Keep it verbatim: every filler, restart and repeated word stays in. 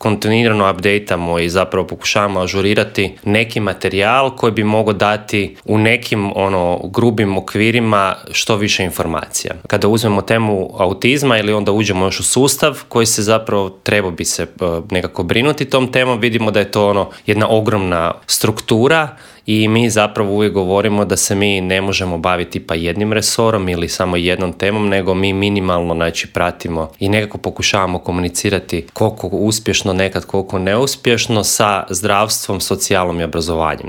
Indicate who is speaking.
Speaker 1: kontinuirano updateamo i zapravo pokušavamo ažurirati neki materijal koji bi mogao dati u nekim ono grubim okvirima što više informacija. Kada uzmemo temu autizma ili onda uđemo još u sustav koji se zapravo treba bi se nekako brinuti tom temom, vidimo da je to ono jedna ogromna struktura i mi zapravo uvijek govorimo da se mi ne možemo baviti pa jednim resorom ili samo jednom temom, nego mi minimalno znači pratimo i nekako pokušavamo komunicirati koliko uspješno, nekad koliko neuspješno sa zdravstvom, socijalom i obrazovanjem.